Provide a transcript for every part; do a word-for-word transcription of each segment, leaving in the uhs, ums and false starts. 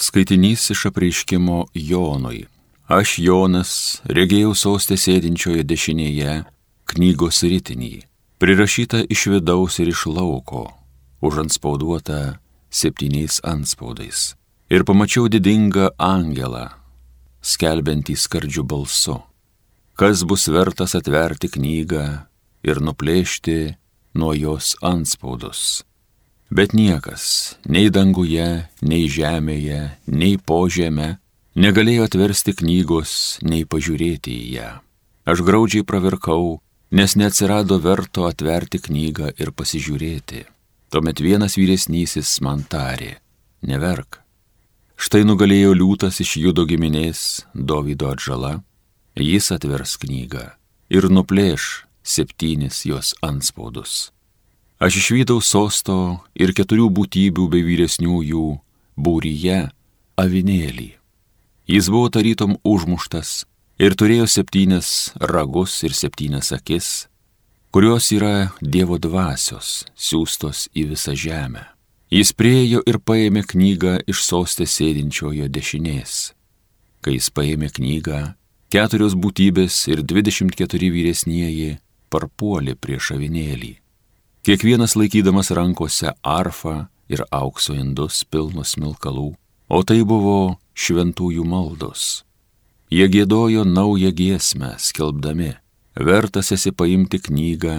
Skaitinys iš apreiškimo Jonui. Aš, Jonas, regėjau soste sėdinčioje dešinėje knygos ritinį, prirašyta iš vidaus ir iš lauko, užantspauduota septyniais antspaudais. Ir pamačiau didingą angelą, skelbiantį skardžiu balsu, kas bus vertas atverti knygą ir nuplėšti nuo jos antspaudus. Bet niekas, nei danguje, nei žemėje, nei po žeme, negalėjo atversti knygos, nei pažiūrėti į ją. Aš graudžiai pravirkau, nes neatsirado verto atverti knygą ir pasižiūrėti. Tuomet vienas vyresnysis man tarė, neverk. Štai nugalėjo liūtas iš Judo giminės, Dovydo atžala, jis atvers knygą ir nuplėš septynis jos antspaudus. Aš išvydau sosto ir keturių būtybių bei vyresniųjų būryje avinėlį. Jis buvo tarytum užmuštas ir turėjo septynias ragus ir septynias akis, kurios yra Dievo dvasios, siųstos į visą žemę. Jis priėjo ir paėmė knygą iš soste sėdinčiojo dešinės. Kai jis paėmė knygą, keturios būtybės ir dvidešimt keturi vyresnieji parpuolė prieš avinėlį. Kiekvienas laikydamas rankose arfą ir aukso indus pilnus smilkalų, o tai buvo šventųjų maldos. Jie giedojo naują giesmę, skelbdami, vertas esi paimti knygą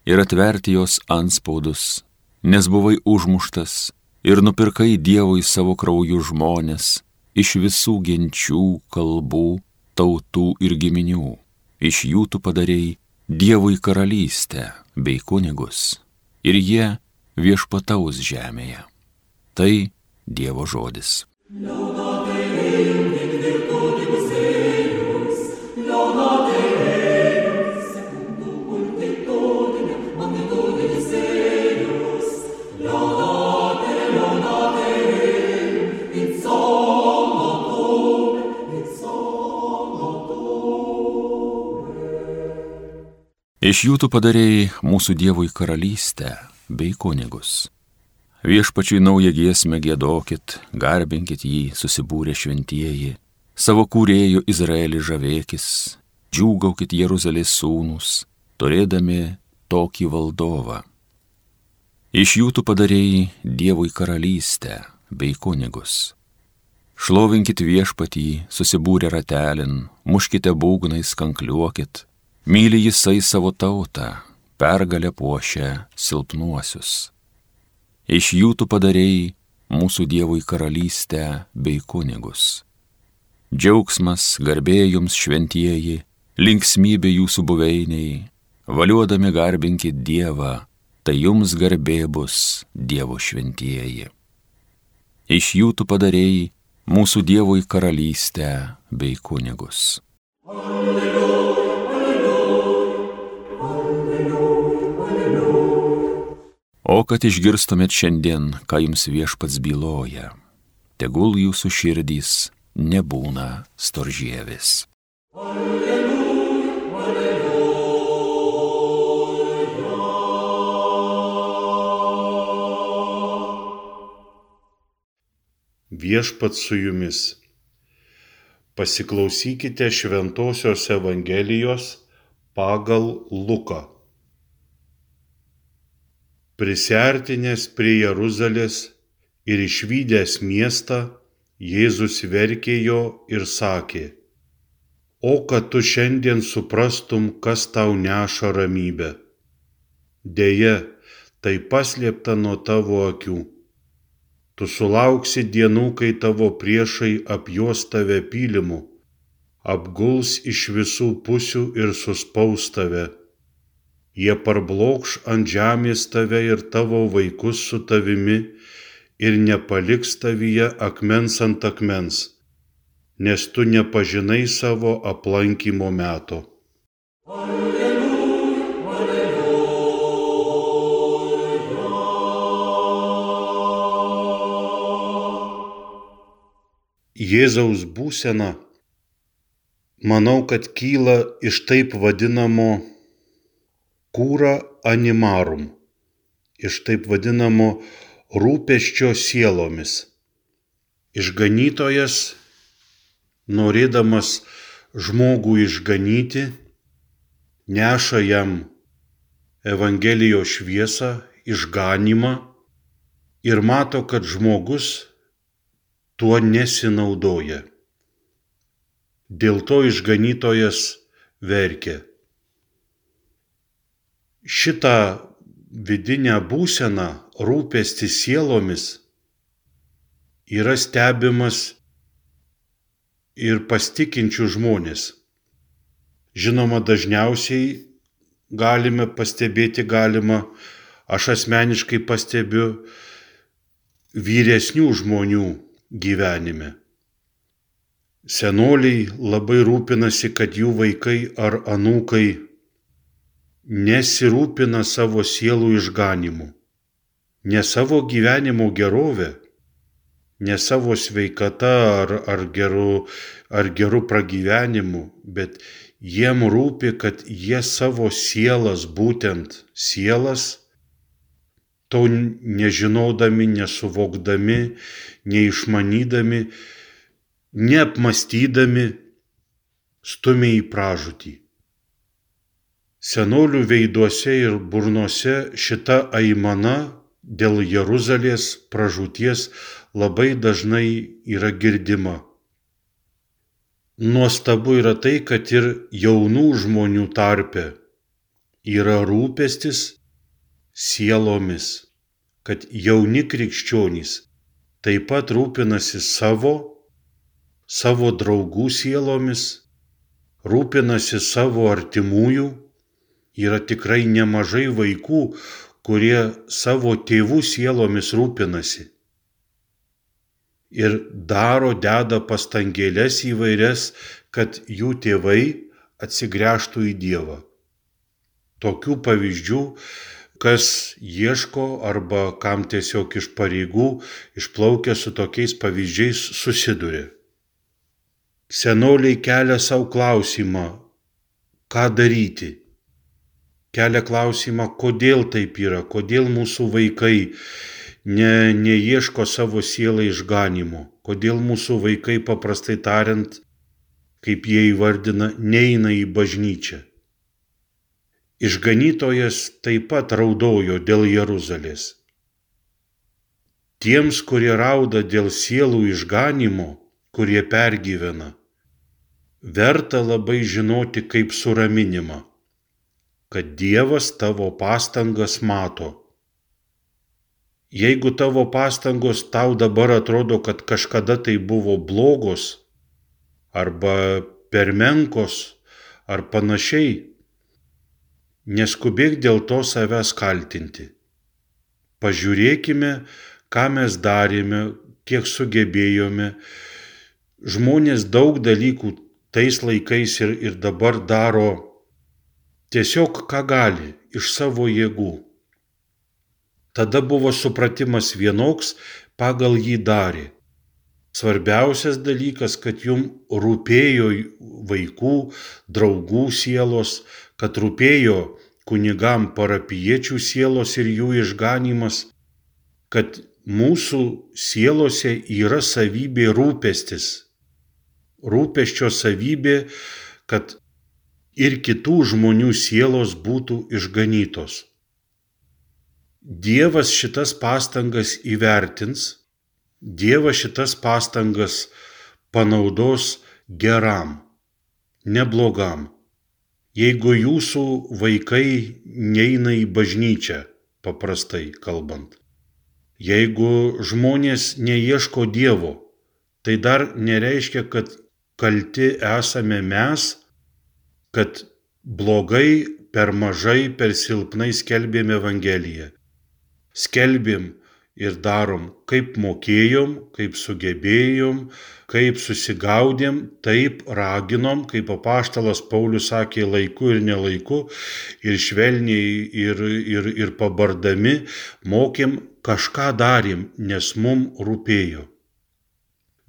ir atverti jos antspaudus, nes buvai užmuštas ir nupirkai Dievui savo krauju žmonės iš visų genčių, kalbų, tautų ir giminių. Iš jų tu padarei Dievui karalystę bei kunigus, ir jie viešpataus žemėje. Tai Dievo žodis. Iš jų tu padarei mūsų Dievui karalystę bei kunigus. Viešpačiui naują giesmę giedokit, garbinkit jį, susibūrę šventieji, savo kūrėjų Izraelį žavėkis, džiūgaukit Jeruzalės sūnus, turėdami tokį valdovą. Iš jų tu padarei Dievui karalystę bei kunigus. Šlovinkit viešpatį, susibūrę ratelin, muškite būgnais, kankliuokit, myli jisai savo tautą, pergalę puošia silpnuosius. Iš jų tu padarei mūsų Dievui karalystę bei kunigus. Džiaugsmas, garbė jums šventieji, linksmybė jūsų buveiniai, valiuodami garbinkit Dievą, tai jums garbė bus Dievo šventieji. Iš jų tu padarei mūsų Dievui karalystę bei kunigus. Alleluja. O kad išgirstumėt šiandien, ką jums viešpats byloja, tegul jūsų širdys nebūna storžievis. Alleluja, alleluja. Viešpats su jumis. Pasiklausykite Šventosios Evangelijos pagal Luką. Prisiartinęs prie Jeruzalės ir išvydęs miestą, Jėzus verkė jo ir sakė, o kad tu šiandien suprastum, kas tau neša ramybę. Deja, tai paslėpta nuo tavo akių. Tu sulauksi dienų, kai tavo priešai apjuos tave pylimu, apguls iš visų pusių ir suspaus tave. Jie parblokš ant žemės tave ir tavo vaikus su tavimi ir nepaliks tavyje akmens ant akmens, nes tu nepažinai savo aplankymo meto. Alleluja, alleluja. Jėzaus būsena, manau, kad kyla iš taip vadinamo cura animarum, iš taip vadinamo rūpesčio sielomis. Išganytojas, norėdamas žmogų išganyti, neša jam Evangelijos šviesą, išganymą ir mato, kad žmogus tuo nesinaudoja. Dėl to išganytojas verkia. Šitą vidinę būseną, rūpestį sielomis, yra stebimas ir pas tikinčių žmonės. Žinoma, dažniausiai galime pastebėti, galima, aš asmeniškai pastebiu vyresnių žmonių gyvenime. Senoliai labai rūpinasi, kad jų vaikai ar anūkai nesirūpina savo sielų išganymu, ne savo gyvenimo gerovę, ne savo sveikata ar, ar, geru, ar geru pragyvenimu, bet jiem rūpi, kad jie savo sielas, būtent sielas, to nežinodami, nesuvokdami, neišmanydami, neapmastydami, stumia į pražūtį. Senolių veiduose ir burnuose šita aimana dėl Jeruzalės pražūties labai dažnai yra girdima. Nuostabu yra tai, kad ir jaunų žmonių tarpe yra rūpestis sielomis, kad jauni krikščionys taip pat rūpinasi savo, savo draugų sielomis, rūpinasi savo artimųjų. Yra tikrai nemažai vaikų, kurie savo tėvų sielomis rūpinasi ir daro, deda pastangėles įvairias, kad jų tėvai atsigręžtų į Dievą. Tokių pavyzdžių, kas ieško arba kam tiesiog iš pareigų išplaukia su tokiais pavyzdžiais susiduria. Senoliai kelia savo klausimą, ką daryti. Kelia klausimą, kodėl taip yra, kodėl mūsų vaikai ne, neieško savo sielą išganymo, kodėl mūsų vaikai, paprastai tariant, kaip jie įvardina, neina į bažnyčią. Išganytojas taip pat raudojo dėl Jeruzalės. Tiems, kurie rauda dėl sielų išganymo, kurie pergyvena, verta labai žinoti kaip suraminimą, kad Dievas tavo pastangas mato. Jeigu tavo pastangos tau dabar atrodo, kad kažkada tai buvo blogos, arba per menkos, ar panašiai, neskubėk dėl to savęs kaltinti. Pažiūrėkime, ką mes darėme, kiek sugebėjome. Žmonės daug dalykų tais laikais ir, ir dabar daro tiesiog ką gali, iš savo jėgų. Tada buvo supratimas vienoks, pagal jį darė. Svarbiausias dalykas, kad jum rūpėjo vaikų, draugų sielos, kad rūpėjo kunigam parapijiečių sielos ir jų išganymas, kad mūsų sielose yra savybė rūpestis. Rūpesčio savybė, kad ir kitų žmonių sielos būtų išganytos. Dievas šitas pastangas įvertins, Dievas šitas pastangas panaudos geram, ne blogam. Jeigu jūsų vaikai neina į bažnyčią, paprastai kalbant, jeigu žmonės neieško Dievo, tai dar nereiškia, kad kalti esame mes, kad blogai, per mažai, per silpnai skelbėm Evangeliją. Skelbėm ir darom, kaip mokėjom, kaip sugebėjom, kaip susigaudėm, taip raginom, kaip apaštalas Paulius sakė, laiku ir nelaiku, ir švelniai, ir, ir, ir pabardami, mokėm, kažką darėm, nes mum rūpėjo.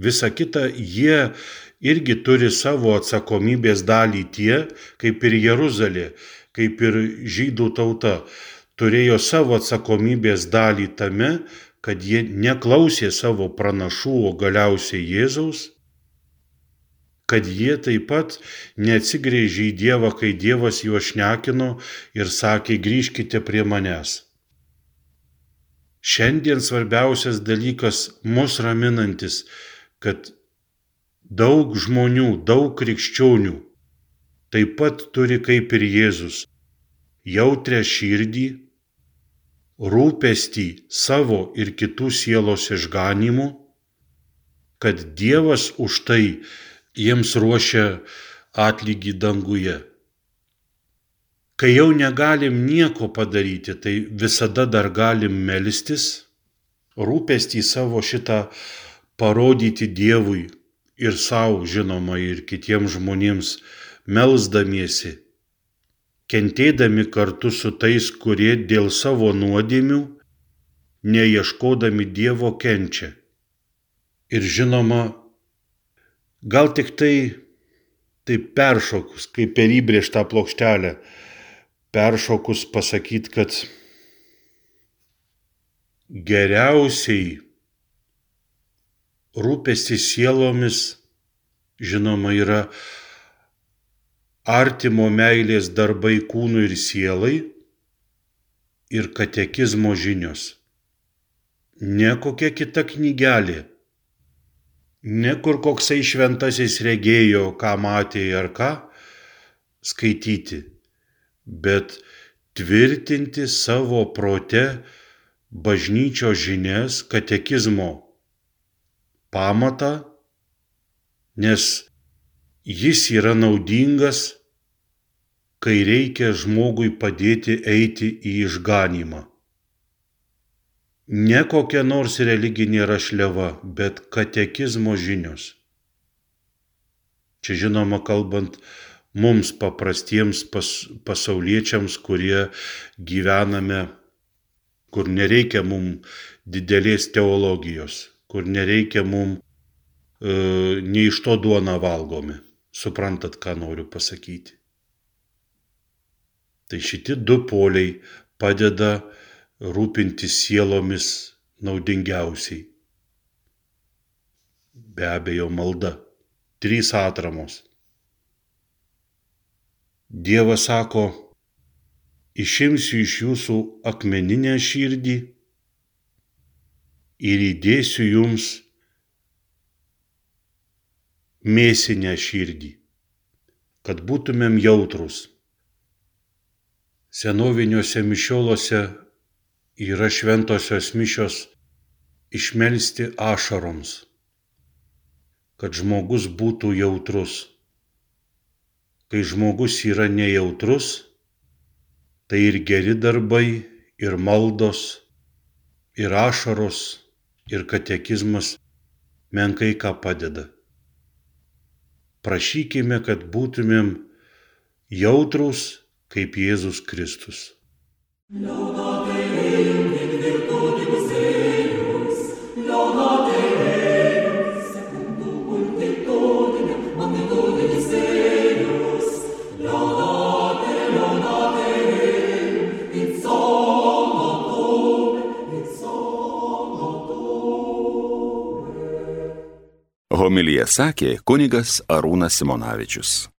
Visa kita, jie irgi turi savo atsakomybės dalį tie, kaip ir Jeruzalė, kaip ir žydų tauta, turėjo savo atsakomybės dalį tame, kad jie neklausė savo pranašų, o galiausiai Jėzaus, kad jie taip pat neatsigręžė į Dievą, kai Dievas juos šnekino ir sakė, grįžkite prie manęs. Šiandien svarbiausias dalykas mus raminantis, kad daug žmonių, daug krikščionių taip pat turi kaip ir Jėzus jautrią širdį, rūpestį savo ir kitų sielos išganymu, kad Dievas už tai jiems ruošia atlygį danguje. Kai jau negalim nieko padaryti, tai visada dar galim melstis, rūpestį savo šitą parodyti Dievui ir savo, žinoma, ir kitiems žmonėms melsdamiesi, kentėdami kartu su tais, kurie dėl savo nuodėmių, neieškodami Dievo kenčia. Ir žinoma, gal tik tai, tai peršokus, kaip per įbrėžtą plokštelę, peršokus pasakyti, kad geriausiai rūpestis sielomis, žinoma, yra artimo meilės darbai kūnui ir sielai ir katekizmo žinios. Ne kokia kita knygelė, ne kur koksai šventasis regėjo, ką matė ar ką skaityti, bet tvirtinti savo prote bažnyčios žinias, katekizmo pamatą, nes jis yra naudingas, kai reikia žmogui padėti eiti į išganymą. Ne kokia nors religinė rašliava, bet katekizmo žinios. Čia žinoma kalbant mums paprastiems pas, pasauliečiams, kurie gyvename, kur nereikia mums didelės teologijos, kur nereikia mums e, ne iš to duoną valgome. Suprantat, ką noriu pasakyti. Tai šitie du poliai padeda rūpintis sielomis naudingiausiai. Be abejo, malda. Trys atramos. Dievas sako, išimsiu iš jūsų akmeninę širdį ir įdėsiu jums mėsinę širdį, kad būtumėm jautrus. Senoviniuose mišioluose yra šventosios mišios išmelsti ašaroms, kad žmogus būtų jautrus. Kai žmogus yra nejautrus, tai ir geri darbai, ir maldos, ir ašaros, ir katekizmas menkai ką padeda. Prašykime, kad būtumėm jautrus kaip Jėzus Kristus. Homiliją sakė kunigas Arūnas Simonavičius.